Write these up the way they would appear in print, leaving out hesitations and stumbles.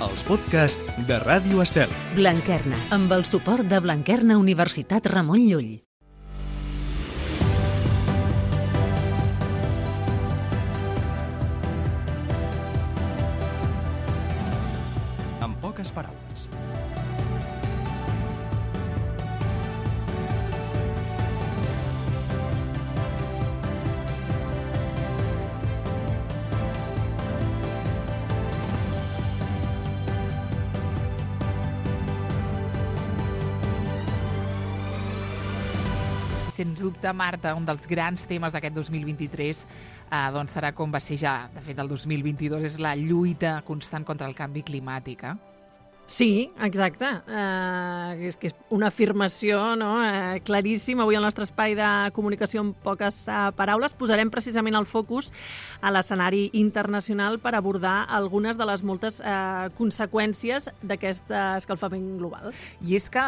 els podcasts de Ràdio Estel. Blanquerna, amb el suport de Blanquerna Universitat Ramon Llull. En poques paraules. Sens dubte, Marta, un dels grans temes d'aquest 2023 doncs serà com va ser ja, de fet, el 2022, és la lluita constant contra el canvi climàtic. Sí, exacte. És que és una afirmació claríssima. Avui al nostre espai de comunicació en poques paraules posarem precisament el focus a l'escenari internacional per abordar algunes de les moltes conseqüències d'aquest escalfament global. I és que,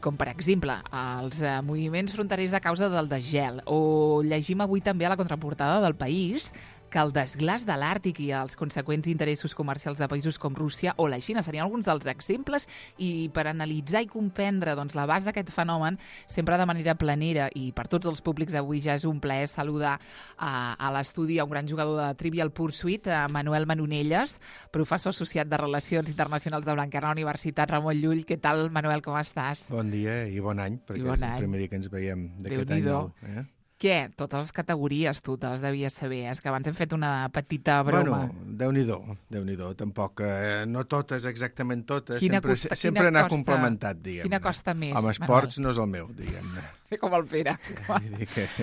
com per exemple els moviments fronterers a causa del desgel, o llegim avui també a la contraportada del País que el desglaç de l'Àrtic i els conseqüents interessos comercials de països com Rússia o la Xina serien alguns dels exemples, i per analitzar i comprendre l'abast d'aquest fenomen, sempre de manera planera i per tots els públics, avui ja és un plaer saludar a l'estudi a un gran jugador de Trivial Pursuit, Manuel Manonelles, professor associat de Relacions Internacionals de Blanquerna Universitat Ramon Llull. Què tal, Manuel, com estàs? Bon dia i bon any, perquè és el primer dia que ens veiem d'aquest any nou. Què? Totes les categories tu te les devies saber. És que abans hem fet una petita broma. Bueno, Déu-n'hi-do. Tampoc, no totes, exactament totes. Sempre anar complementat, diguem-ne. Quina costa més, Home, esports no és el meu, diguem-ne. Fer com el Pere.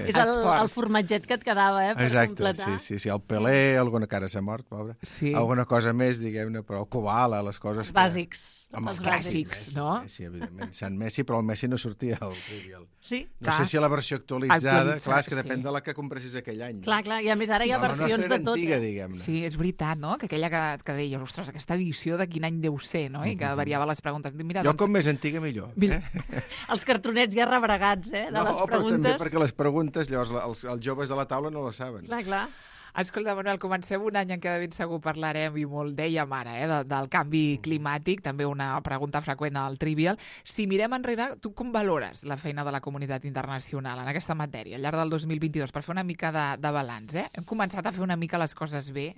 És el formatget que et quedava, per completar. Exacte, sí. El Pelé, alguna cara s'ha mort, pobre. Sí. Alguna cosa més, diguem-ne, però el Koala, les coses... Bàsics. Els clàssics, no? Sí, evidentment. Sant Messi, però el Messi no sortia al Trivial. Sí. No sé si la versió actualitzada, clar, és que depèn de la que compressis aquell any. Clar, i a més ara hi ha versions de tot. Antiga, diguem-ne. Sí, és veritat, no? Que aquella que deies, ostres, aquesta edició de quin any deu ser, no? I que variava les preguntes. Mira, jo com més antiga millor. Els cartronets ja rebregats, de les preguntes. Però també perquè les preguntes, llavors, els joves de la taula no les saben. Clar. Escolta, Manuel, comencem un any en què de ben segur parlarem, i molt dèiem ara, del canvi climàtic, també una pregunta freqüent al Trivial. Si mirem enrere, tu com valores la feina de la comunitat internacional en aquesta matèria, al llarg del 2022, per fer una mica de balanç? Hem començat a fer una mica les coses bé?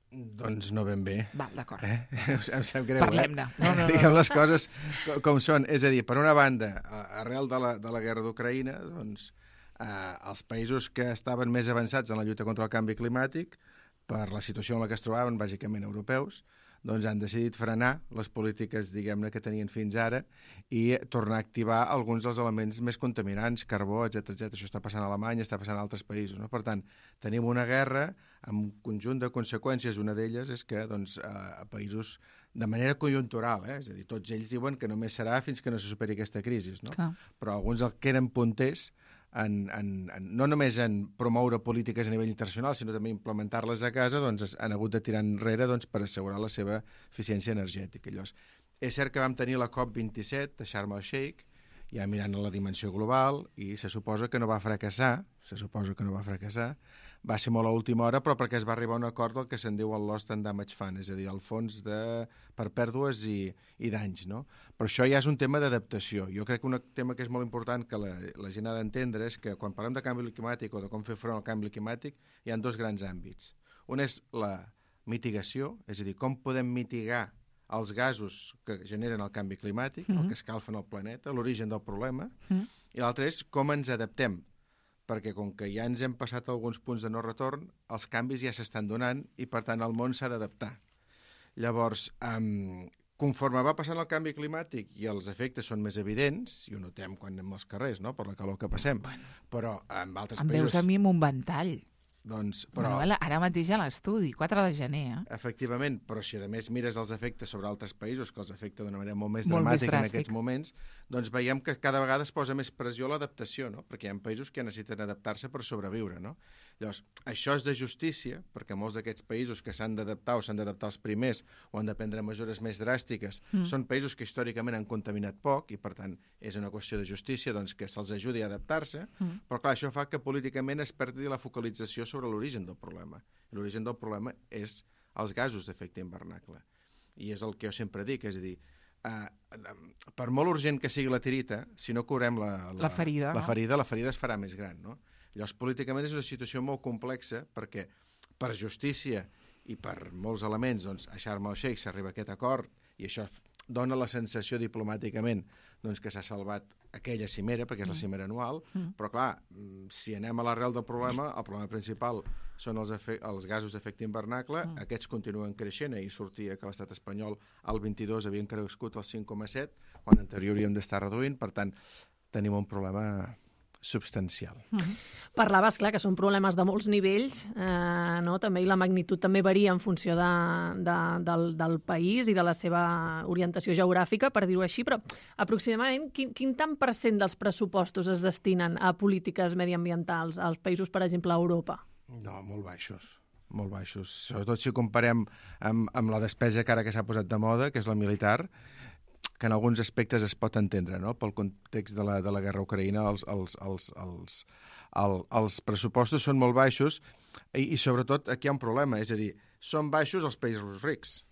Doncs no ben bé. Val, d'acord. Em sap greu, Parlem-ne. No. Diguem les coses com són. És a dir, per una banda, arrel de la guerra d'Ucraïna, doncs, els països que estaven més avançats en la lluita contra el canvi climàtic, per la situació en la que es trobaven, bàsicament europeus, doncs han decidit frenar les polítiques, diguem-ne, que tenien fins ara i tornar a activar alguns dels elements més contaminants, carbó, etc. Això està passant a Alemanya, està passant a altres països, no? Per tant, tenim una guerra amb un conjunt de conseqüències. Una d'elles és que a països de manera conjuntural, és a dir, tots ells diuen que només serà fins que no se superi aquesta crisi, no? Però alguns que eren punters no només en promoure polítiques a nivell internacional, sinó també implementar-les a casa, doncs han hagut de tirar enrere per assegurar la seva eficiència energètica. Llavors, és cert que vam tenir la COP27 a Sharm el-Sheikh, ja mirant a la dimensió global, i se suposa que no va fracassar, va ser molt a última hora, però perquè es va arribar a un acord del que se'n diu el Lost and Damage Fund, és a dir, el fons per pèrdues i danys, no? Però això ja és un tema d'adaptació. Jo crec que un tema que és molt important que la gent ha d'entendre és que quan parlem de canvi climàtic o de com fer front al canvi climàtic, hi ha dos grans àmbits. Un és la mitigació, és a dir, com podem mitigar els gasos que generen el canvi climàtic, el que escalfen el planeta, l'origen del problema, i l'altre és com ens adaptem, perquè com que ja ens hem passat alguns punts de no retorn, els canvis ja s'estan donant i, per tant, el món s'ha d'adaptar. Llavors, conforme va passant el canvi climàtic i els efectes són més evidents, i ho notem quan anem als carrers, no?, per la calor que passem, però en altres països... Em veus a mi amb un ventall. Doncs, Manuel, ara mateix a l'estudi, 4 de gener. Efectivament, però si a més mires els efectes sobre altres països, que els afecta d'una manera molt més dramàtica en aquests moments, doncs veiem que cada vegada es posa més pressió a l'adaptació, no? Perquè hi ha països que necessiten adaptar-se per sobreviure, no? Llavors, això és de justícia, perquè molts d'aquests països que s'han d'adaptar o s'han d'adaptar els primers o han de prendre mesures més dràstiques són països que històricament han contaminat poc i, per tant, és una qüestió de justícia doncs, que se'ls ajudi a adaptar-se, però clar, això fa que políticament es perdi la focalització sobre l'origen del problema. L'origen del problema és els gasos d'efecte hivernacle. i és el que jo sempre dic, és a dir, per molt urgent que sigui la tirita, si no curem la ferida, la ferida es farà més gran, no? Llavors, políticament és una situació molt complexa perquè per justícia i per molts elements, doncs, a Sharm el-Sheikh s'arriba a aquest acord i això dona la sensació diplomàticament doncs, que s'ha salvat aquella cimera, perquè és la cimera anual, però clar, si anem a l'arrel del problema, el problema principal són els gasos d'efecte hivernacle, aquests continuen creixent, i sortia que l'estat espanyol al 22 havien crescut al 5,7, quan en teoria hauríem d'estar reduint, per tant, tenim un problema substancial. Parlaves, clar, que són problemes de molts nivells, no? També, i la magnitud també varia en funció del país i de la seva orientació geogràfica, per dir-ho així, però aproximadament quin tant % dels pressupostos es destinen a polítiques mediambientals als països, per exemple, a Europa? No, molt baixos. Molt baixos. Sobretot si comparem amb la despesa que ara que s'ha posat de moda, que és la militar, que en alguns aspectes es pot entendre, no? Pel context de la guerra ucraïna, els pressupostos són molt baixos i sobretot aquí hi ha un problema, és a dir, són baixos els països rics,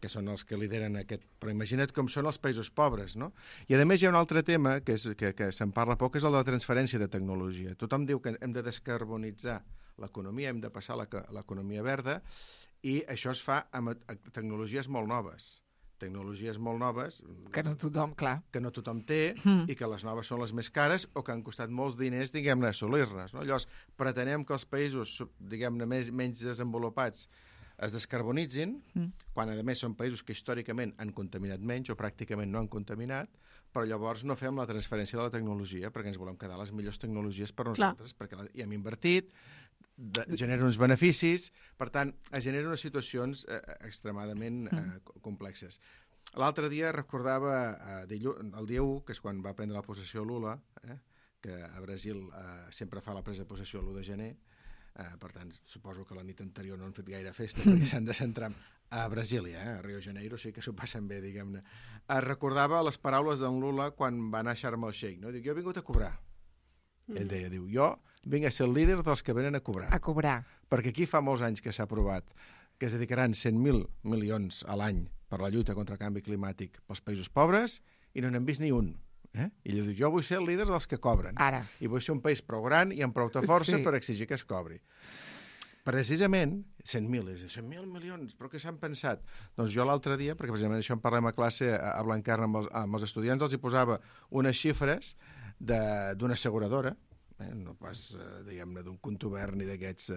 que són els que lideren aquest... Però imagina't com són els països pobres, no? I a més hi ha un altre tema que se'n parla poc, és el de la transferència de tecnologia. Tothom diu que hem de descarbonitzar l'economia, hem de passar a l'economia verda, i això es fa amb tecnologies molt noves. Tecnologies molt noves... Que no tothom, clar. Que no tothom té, i que les noves són les més cares, o que han costat molts diners, diguem-ne, assolir-les, no? Llavors, pretenem que els països, diguem-ne, menys desenvolupats es descarbonitzin, quan, a més, són països que històricament han contaminat menys o pràcticament no han contaminat, però llavors no fem la transferència de la tecnologia perquè ens volem quedar les millors tecnologies per nosaltres, perquè hi hem invertit, genera uns beneficis, per tant, es generen unes situacions extremadament complexes. L'altre dia recordava el dia 1, que és quan va prendre la possessió Lula, que a Brasil sempre fa la presa de possessió l'1 de gener, per tant, suposo que la nit anterior no han fet gaire festa perquè s'han de centrar a Brasília, a Rio de Janeiro, sí que s'ho passen bé, diguem-ne. Recordava les paraules d'en Lula quan va anar a Sharm el-Sheikh, no? Diu, jo he vingut a cobrar. Ell deia, jo vinc a ser el líder dels que venen a cobrar. A cobrar. Perquè aquí fa molts anys que s'ha aprovat que es dedicaran 100.000 milions a l'any per la lluita contra el canvi climàtic pels països pobres i no n'hem vist ni un. I ell diu, jo vull ser el líder dels que cobren. Ara. I vull ser un país prou gran i amb prou força per exigir que es cobri. Precisament, 100.000 milions, però què s'han pensat? Doncs jo l'altre dia, perquè precisament això en parlem a classe a Blanquerna amb els estudiants, els hi posava unes xifres d'una asseguradora, no pas, diguem-ne, d'un contubern ni d'aquests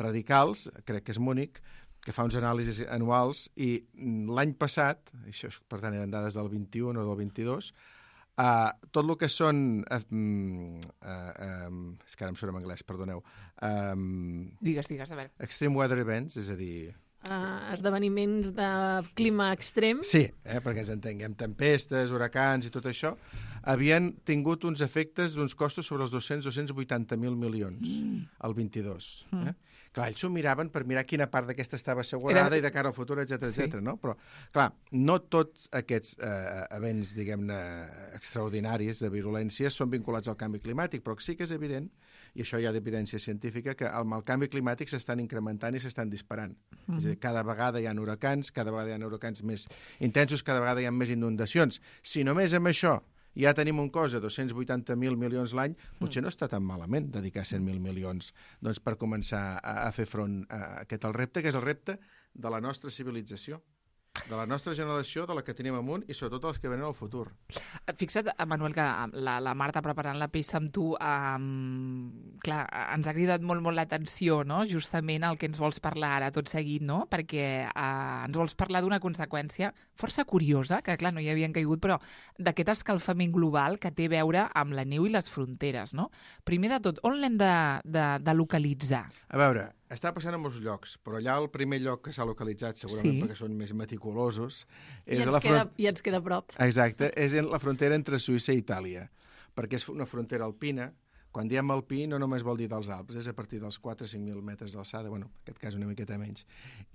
radicals, crec que és Múnich, que fa uns anàlisis anuals, i l'any passat, això per tant eren dades del 21 o del 22, tot el que són... és que ara em surt en anglès, perdoneu. Digues, a veure. Extreme weather events, és a dir... esdeveniments de clima extrem. Sí, perquè ens entenguem, tempestes, huracans i tot això, havien tingut uns efectes d'uns costos sobre els 280.000 milions al 22. Clar, ells s'ho miraven per mirar quina part d'aquesta estava assegurada i de cara al futur, etc. No? Però, clar, no tots aquests events, diguem-ne, extraordinaris de virulència són vinculats al canvi climàtic, però sí que és evident, i això hi ha d'evidència científica, que amb el canvi climàtic s'estan incrementant i s'estan disparant. És a dir, cada vegada hi ha huracans, cada vegada hi ha huracans més intensos, cada vegada hi ha més inundacions. Si només amb això ja tenim un cost de 280.000 milions l'any, potser no està tan malament dedicar 100.000 milions doncs, per començar a fer front a aquest repte, que és el repte de la nostra civilització, de la nostra generació, de la que tenim amunt i sobretot dels que venen al futur. Fixa't, Manuel, que la Marta preparant la peça amb tu, clar, ens ha cridat molt l'atenció, no? Justament el que ens vols parlar ara tot seguit, no? Perquè ens vols parlar d'una conseqüència força curiosa, que clar, no hi havien caigut, però d'aquest escalfament global que té a veure amb la neu i les fronteres, no? Primer de tot, on l'hem de localitzar? A veure, està passant a molts llocs, però allà el primer lloc que s'ha localitzat, segurament perquè són més meticulosos... I ens queda a prop. Exacte, és en la frontera entre Suïssa i Itàlia, perquè és una frontera alpina. Quan diem alpí no només vol dir dels Alps, és a partir dels 4 o 5.000 metres d'alçada, bueno, en aquest cas una miqueta menys.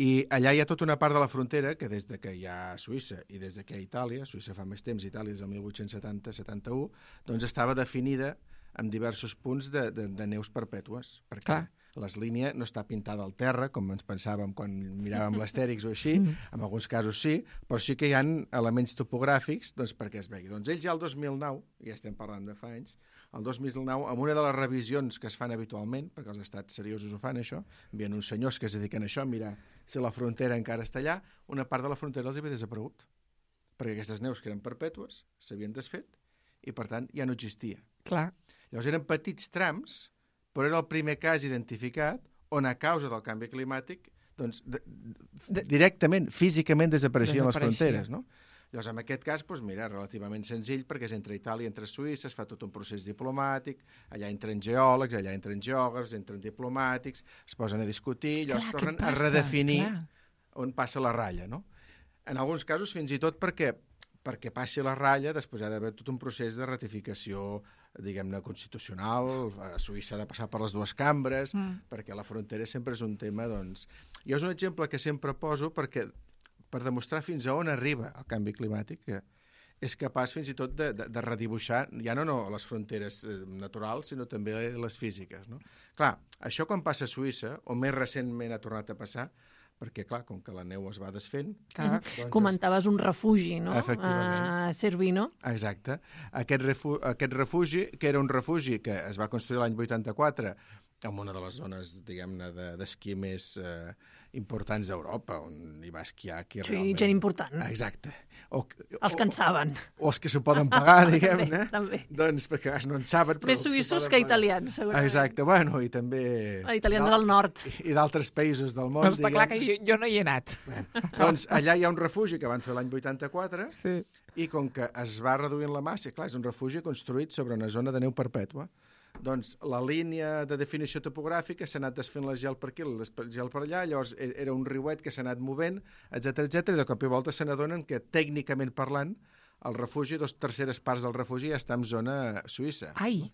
I allà hi ha tota una part de la frontera que des de que hi ha Suïssa i des de que hi ha Itàlia, Suïssa fa més temps, Itàlia des del 1870-71, doncs estava definida amb diversos punts de neus perpètues. Per què? Les línies no està pintada al terra, com ens pensàvem quan miràvem l'Astèrix o així, en alguns casos sí, però sí que hi ha elements topogràfics doncs, perquè es vegi. Doncs ells ja el 2009, ja estem parlant de fa anys, el 2009, amb una de les revisions que es fan habitualment, perquè els estats seriosos ho fan, això, envien uns senyors que es dediquen a això, a mirar si la frontera encara està allà, una part de la frontera els havia desaparegut, perquè aquestes neus que eren perpètues s'havien desfet i, per tant, ja no existia. Clar. Llavors eren petits trams, però era el primer cas identificat on, a causa del canvi climàtic, doncs, directament, físicament desapareixien les fronteres, no? Llavors, en aquest cas, doncs, mira, relativament senzill, perquè és entre Itàlia i entre Suïssa, es fa tot un procés diplomàtic, allà entren geòlegs, allà entren geògrafs, entren diplomàtics, es posen a discutir, llavors tornen a redefinir on passa la ratlla, no? En alguns casos, fins i tot perquè passi la ratlla, després ha d'haver tot un procés de ratificació, diguem-ne, constitucional, a Suïssa ha de passar per les dues cambres, perquè la frontera sempre és un tema, doncs... Jo és un exemple que sempre poso per demostrar fins a on arriba el canvi climàtic, que és capaç fins i tot de redibuixar, ja no les fronteres naturals, sinó també les físiques, no? Clar, això quan passa a Suïssa, o més recentment ha tornat a passar, perquè, clar, com que la neu es va desfent... Doncs comentaves un refugi, no? Efectivament. Cervino. Exacte. Aquest refugi, que era un refugi que es va construir l'any 84 en una de les zones, diguem-ne, d'esquí més importants d'Europa, on hi va esquiar qui realment... Sí, gent important. Exacte. Els que en saben. O els que s'ho poden pagar, diguem-ne. També. Doncs perquè no en saben, però... Més suïssos que italians, segurament. Exacte, bueno, i també... Italians del nord. I d'altres països del món, Està clar que jo no hi he anat. Doncs allà hi ha un refugi que van fer l'any 84, sí. I com que es va reduint la massa, clar, és un refugi construït sobre una zona de neu perpètua, doncs la línia de definició topogràfica s'ha anat desfent el gel per aquí, el gel per allà, llavors era un riuet que s'ha anat movent, etc i de cop i volta se n'adonen que, tècnicament parlant, el refugi, 2/3 parts del refugi ja està en zona suïssa. Ai!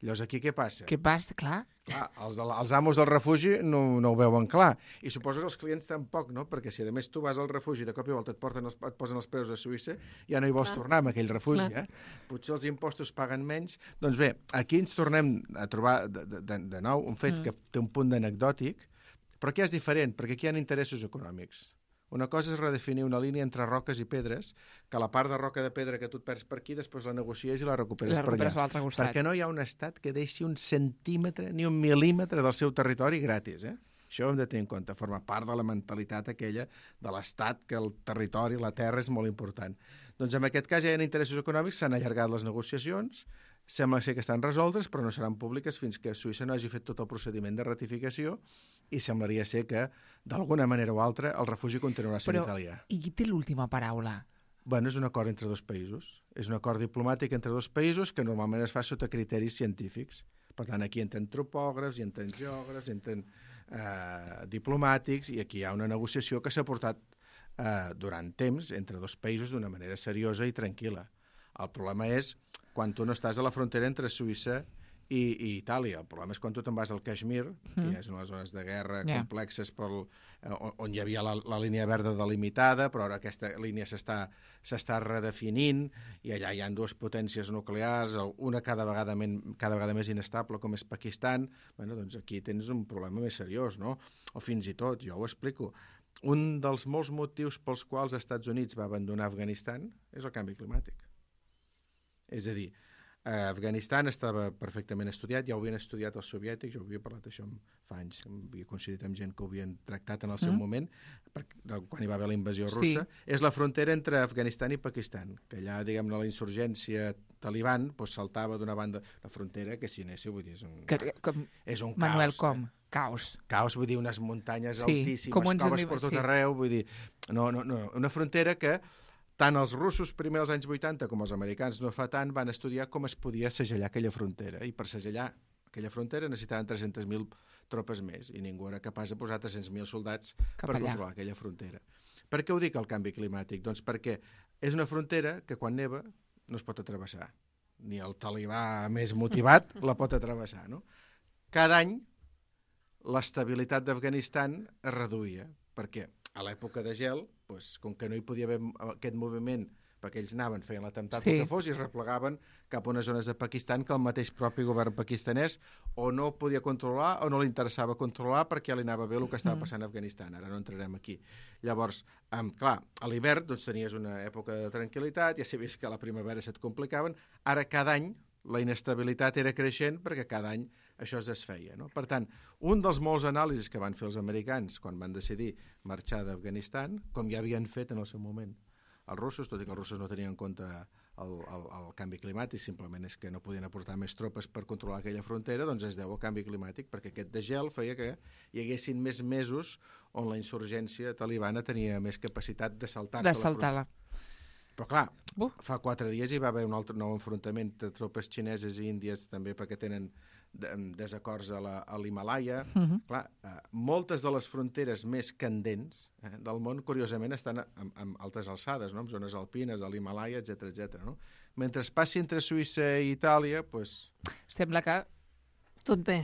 Llavors aquí què passa? Què passa? Clar. Clar, els amos del refugi no ho veuen clar. I suposo que els clients tampoc, no? Perquè si a més tu vas al refugi i de cop i volta et posen els preus a Suïssa, ja no hi vols tornar amb aquell refugi, Potser els impostos paguen menys. Doncs bé, aquí ens tornem a trobar de nou un fet que té un punt d'anecdòtic, però que és diferent, perquè aquí hi ha interessos econòmics. Una cosa és redefinir una línia entre roques i pedres, que la part de roca de pedra que tu et perds per aquí, després la negocies i la recuperes per allà. l'altre costat. Perquè no hi ha un estat que deixi un centímetre ni un mil·límetre del seu territori gratis, Això ho hem de tenir en compte, forma part de la mentalitat aquella de l'estat, que el territori, la terra, és molt important. Doncs en aquest cas ja hi ha interessos econòmics, s'han allargat les negociacions, sembla ser que estan resoltes, però no seran públiques fins que Suïssa no hagi fet tot el procediment de ratificació i semblaria ser que, d'alguna manera o altra, el refugi continuarà sent italià. I qui té l'última paraula? Bueno, és un acord entre dos països. És un acord diplomàtic entre dos països que normalment es fa sota criteris científics. Per tant, aquí entren topògrafs, hi entren geògrafs, hi entren diplomàtics, i aquí hi ha una negociació que s'ha portat durant temps entre dos països d'una manera seriosa i tranquil·la. El problema és quan tu no estàs a la frontera entre Suïssa i Itàlia. El problema és quan tu te'n vas al Kashmir, que ja és una de les zones de guerra complexes on hi havia la línia verda delimitada, però ara aquesta línia s'està redefinint i allà hi ha dues potències nuclears, una cada vegada més inestable, com és Pakistan. Bueno, doncs aquí tens un problema més seriós, no? O fins i tot, jo ho explico, un dels molts motius pels quals els Estats Units va abandonar Afganistan és el canvi climàtic. És a dir, Afganistan estava perfectament estudiat, ja ho havien estudiat els soviètics, jo havia parlat això fa anys, havia coincidit amb gent que ho havien tractat en el seu moment, quan hi va haver la invasió russa. És la frontera entre Afganistan i Pakistan, que allà, diguem-ne, la insurgència taliban saltava d'una banda la frontera, que si anéssiu, vull dir, és un caos. Manuel, com? Caos. Caos, vull dir, unes muntanyes altíssimes, coves per tot arreu, vull dir, no, una frontera que tant els russos primer als anys 80 com els americans no fa tant van estudiar com es podia segellar aquella frontera, i per segellar aquella frontera necessitaven 300.000 tropes més i ningú era capaç de posar 300.000 soldats per controlar aquella frontera. Per què ho dic, el canvi climàtic? Doncs perquè és una frontera que quan neva no es pot atravessar. Ni el talibà més motivat la pot atravessar, no? Cada any l'estabilitat d'Afganistan es reduïa. Per què? A l'època de gel, com que no hi podia haver aquest moviment perquè ells anaven, feien l'atemptat Sí. el que fos i es replegaven cap a unes zones de Pakistan que el mateix propi govern pakistanès o no podia controlar o no li interessava controlar perquè li anava bé el que estava passant a Afganistan. Ara no entrarem aquí. Llavors, clar, a l'hivern doncs, tenies una època de tranquil·litat, ja sabies que a la primavera se't complicaven, ara cada any la inestabilitat era creixent perquè cada any això es desfeia. No? Per tant, un dels molts anàlisis que van fer els americans quan van decidir marxar d'Afganistan, com ja havien fet en el seu moment els russos, tot i que els russos no tenien en compte el canvi climàtic, simplement és que no podien aportar més tropes per controlar aquella frontera, doncs es deu al canvi climàtic, perquè aquest degel feia que hi haguessin més mesos on la insurgència talibana tenia més capacitat de saltar-se De saltar-la. Però clar, fa 4 dies hi va haver un altre nou enfrontament de tropes xineses i índies també perquè tenen desacords a l'Himalaya. Clar, moltes de les fronteres més candents del món, curiosament, estan en altes alçades, no? En zones alpines, a l'Himalaya, etc. No? Mentre es passi entre Suïssa i Itàlia, doncs... Sembla que... Tot bé.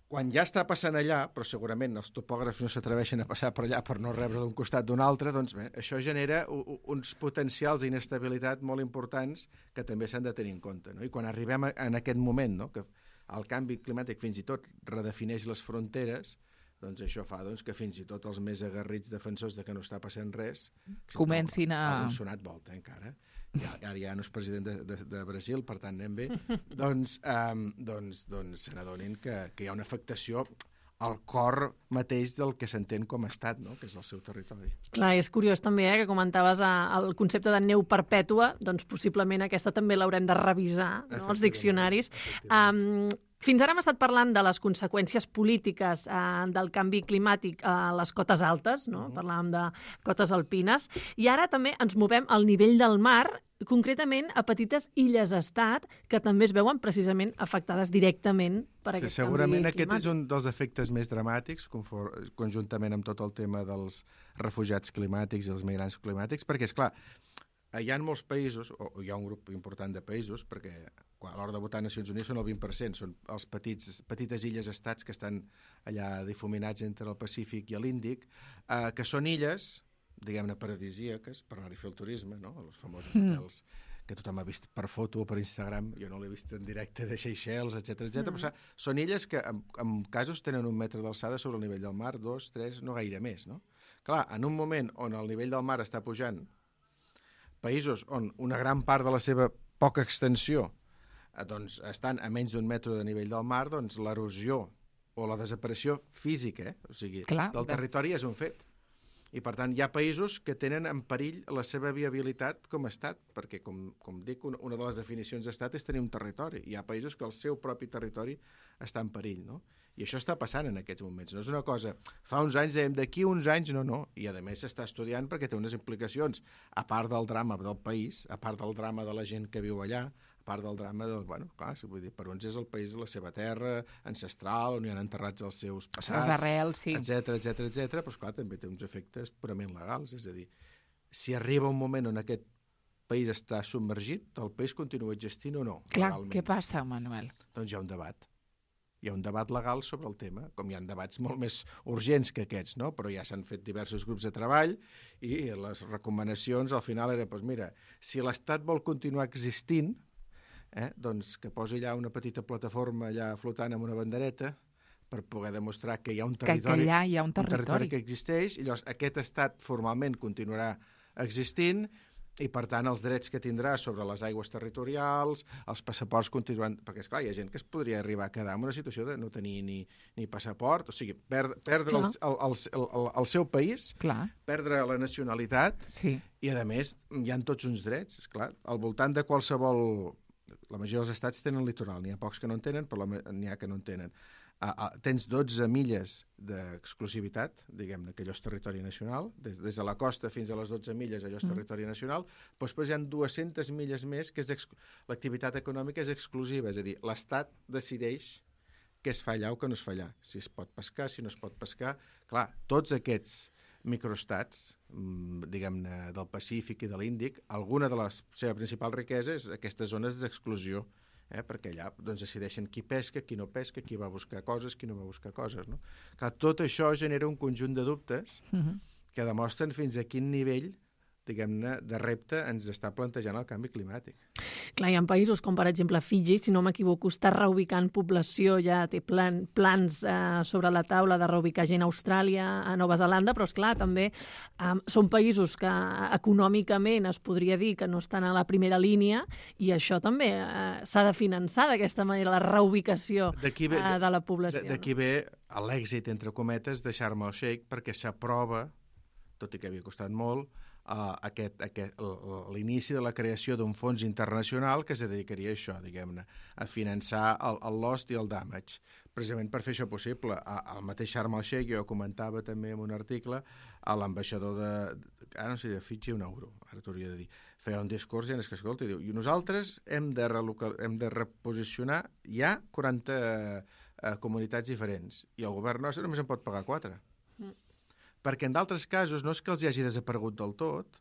Quan ja està passant allà, però segurament els topògrafs no s'atreveixen a passar per allà per no rebre d'un costat d'un altre, doncs bé, això genera uns potencials d'inestabilitat molt importants que també s'han de tenir en compte. No? I quan arribem en aquest moment, no? Que el canvi climàtic fins i tot redefineix les fronteres, doncs això fa que fins i tot els més aguerrits defensors de que no està passant res comencin a... Han sonat volta encara. Ara ja no és president de Brasil, per tant anem bé, doncs se n'adonin que hi ha una afectació al cor mateix del que s'entén com a estat, no? Que és el seu territori. Clar, és curiós també que comentaves el concepte de neu perpètua, doncs possiblement aquesta també l'haurem de revisar, no? Els diccionaris. Fins ara hem estat parlant de les conseqüències polítiques del canvi climàtic a les cotes altes, no? Parlàvem de cotes alpines, i ara també ens movem al nivell del mar, concretament a petites illes-estat, que també es veuen precisament afectades directament per aquest canvi climàtic. Segurament aquest és un dels efectes més dramàtics, conjuntament amb tot el tema dels refugiats climàtics i els migrants climàtics, perquè, és clar, hi ha molts països, o hi ha un grup important de països, perquè a l'hora de votar a Nacions Unides són el 20%, són els petites illes-estats que estan allà difuminats entre el Pacífic i l'Índic, que són illes, diguem-ne, paradisíaques, per anar-hi a fer el turisme, no? Els famosos hotels que tothom ha vist per foto o per Instagram, jo no l'he vist en directe, de Seychelles, etc. Però són illes que en casos tenen 1 metre d'alçada sobre el nivell del mar, 2, 3, no gaire més, no? Clar, en un moment on el nivell del mar està pujant, països on una gran part de la seva poca extensió doncs estan a menys d'1 metre de nivell del mar, doncs l'erosió o la desaparició física, o sigui, del territori és un fet. I, per tant, hi ha països que tenen en perill la seva viabilitat com a estat, perquè, com dic, una de les definicions d'estat és tenir un territori. Hi ha països que el seu propi territori està en perill, no? I això està passant en aquests moments. No és una cosa... Fa uns anys dèiem, d'aquí uns anys, no. I, a més, s'està estudiant perquè té unes implicacions, a part del drama del país, a part del drama de la gent que viu allà, a part del drama del... Bueno, clar, vull dir, per uns és el país de la seva terra, ancestral, on hi han enterrats els seus passats... Les arrels, sí. Etcètera, però, esclar, també té uns efectes purament legals. És a dir, si arriba un moment on aquest país està submergit, el país continua existint o no? Clar, legalment. què passa, Manuel? Doncs hi ha un debat. Hi ha un debat legal sobre el tema, com hi ha debats molt més urgents que aquests, no? Però ja s'han fet diversos grups de treball i les recomanacions al final era, doncs mira, si l'Estat vol continuar existint, doncs que posi allà una petita plataforma allà flotant amb una bandereta per poder demostrar que hi ha un territori, que allà hi ha un territori que existeix, i llavors aquest estat formalment continuarà existint i, per tant, els drets que tindrà sobre les aigües territorials, els passaports continuaran... Perquè, esclar, hi ha gent que es podria arribar a quedar en una situació de no tenir ni passaport, o sigui, perdre el seu país, perdre la nacionalitat, i, a més, hi ha tots uns drets. Esclar, al voltant de qualsevol... La majoria dels estats tenen litoral, n'hi ha pocs que no en tenen, però n'hi ha que no en tenen. Tens 12 milles d'exclusivitat, diguem-ne, que allò és territori nacional, des de la costa fins a les 12 milles allò és territori nacional, però després hi ha 200 milles més que l'activitat econòmica és exclusiva, és a dir, l'Estat decideix què es fa allà o què no es fa allà, si es pot pescar, si no es pot pescar. Clar, tots aquests microestats, diguem-ne, del Pacífic i de l'Índic, alguna de la seva principal riquesa és aquestes zones d'exclusió, perquè allà doncs, decideixen qui pesca, qui no pesca, qui va buscar coses, qui no va buscar coses. No? Clar, tot això genera un conjunt de dubtes que demostren fins a quin nivell diguem-ne, de repte ens està plantejant el canvi climàtic. Clar, hi ha països com, per exemple, Fiji, si no m'equivoco, està reubicant població, ja té plans sobre la taula de reubicar gent a Austràlia, a Nova Zelanda, però, esclar, també són països que econòmicament es podria dir que no estan a la primera línia i això també s'ha de finançar d'aquesta manera, la reubicació de la població. D'aquí ve l'èxit, entre cometes, de Sharm el-Sheikh, perquè s'aprova, tot i que havia costat molt, l'inici de la creació d'un fons internacional que es dedicaria a això, diguem-ne, a finançar el lost i el damage, precisament per fer això possible. El mateix Sharm el-Sheikh, jo comentava també en un article, l'ambaixador ara no sé, de Fiji un euro, ara t'hauria de dir, feia un discurs i en que escolta, i diu, i nosaltres hem de reposicionar ja 40 comunitats diferents, i el govern nostre només en pot pagar 4. Perquè en d'altres casos no és que els hi hagi desaparegut del tot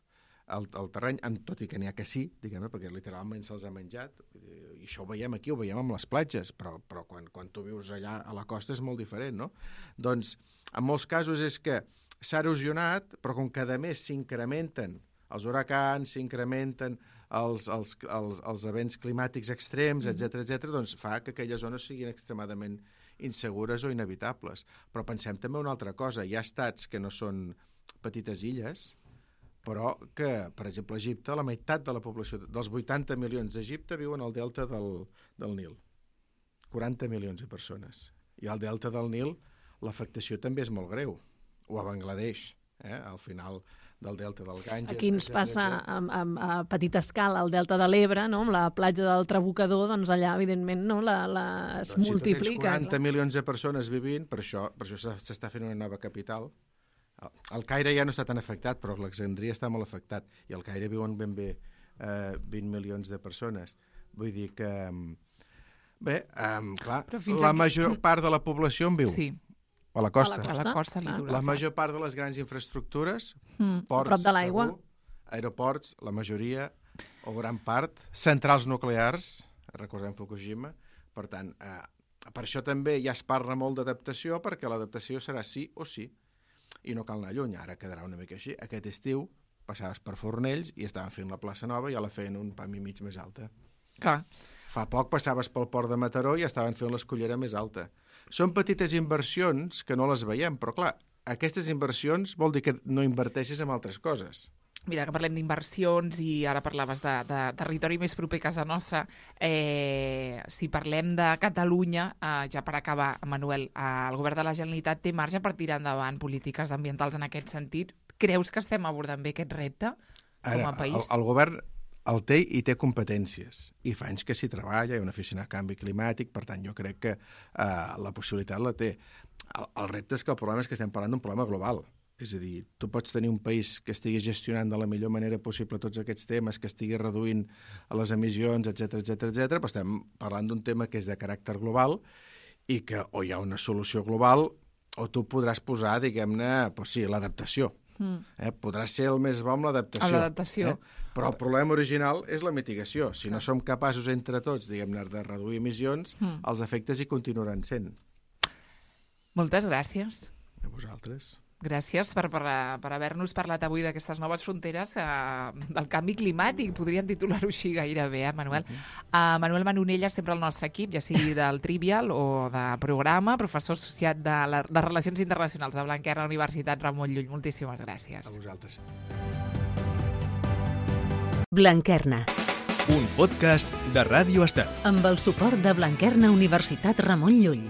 el terreny, tot i que n'hi ha que sí, diguem-ne, perquè literalment se'ls ha menjat, i això ho veiem aquí, ho veiem amb les platges, però quan tu vius allà a la costa és molt diferent, no? Doncs, en molts casos és que s'ha erosionat, però com cada mes s'incrementen els huracans, s'incrementen els events climàtics extrems, etc., doncs fa que aquelles zones siguin extremadament insegures o inevitables. Però pensem també una altra cosa. Hi ha estats que no són petites illes, però que, per exemple, a Egipte, la meitat de la població, dels 80 milions d'Egipte, viuen al delta del Nil. 40 milions de persones. I al delta del Nil l'afectació també és molt greu. O a Bangladesh, al final del delta del Ganges. Aquí ens passa a petita escala al delta de l'Ebre, no? Amb la platja del Trabucador, doncs allà, evidentment, no? Es multiplica. Si tu tens 40 milions de persones vivint, per això s'està fent una nova capital. El Caire ja no està tan afectat, però l'Alexandria està molt afectat, i al Caire viuen ben bé 20 milions de persones. Vull dir que, bé, clar, la major part de la població en viu. Sí. A la costa. A la costa litoral. La major part de les grans infraestructures, ports, prop de l'aigua, aeroports, la majoria, o gran part, centrals nuclears, recordem Fukushima, per tant, per això també ja es parla molt d'adaptació, perquè l'adaptació serà sí o sí, i no cal anar lluny, ara quedarà una mica així. Aquest estiu passaves per Fornells i estaven fent la plaça Nova i ja la feien un pam i mig més alta. Clar. Fa poc passaves pel port de Mataró i estaven fent l'escollera més alta. Són petites inversions que no les veiem, però clar, aquestes inversions vol dir que no inverteixis en altres coses. Mira, que parlem d'inversions i ara parlaves de territori més proper a casa nostra. Si parlem de Catalunya, ja per acabar, Manuel, el govern de la Generalitat té marge per tirar endavant polítiques ambientals en aquest sentit. Creus que estem abordant bé aquest repte com a país? El govern el té i té competències, i fa anys que s'hi treballa, hi ha una oficina de canvi climàtic, per tant jo crec que la possibilitat la té. El repte és que el problema és que estem parlant d'un problema global. És a dir, tu pots tenir un país que estigui gestionant de la millor manera possible tots aquests temes, que estigui reduint les emissions, etc, però estem parlant d'un tema que és de caràcter global i que o hi ha una solució global o tu podràs posar, diguem-ne, sí, l'adaptació. Podrà ser el més bo amb l'adaptació. Però el problema original és la mitigació. Si no som capaços entre tots, diguem-ne, de reduir emissions, els efectes hi continuaran sent. Moltes gràcies. A vosaltres. Gràcies per haver-nos parlat avui d'aquestes noves fronteres del canvi climàtic. Podríem titular-ho així gairebé, Manuel? Manuel Manonelles, sempre al nostre equip, ja sigui del Trivial o de programa, professor associat de Relacions Internacionals de Blanquerna, Universitat Ramon Llull. Moltíssimes gràcies. A vosaltres. Blanquerna. Un podcast de Ràdio Estel. Amb el suport de Blanquerna Universitat Ramon Llull.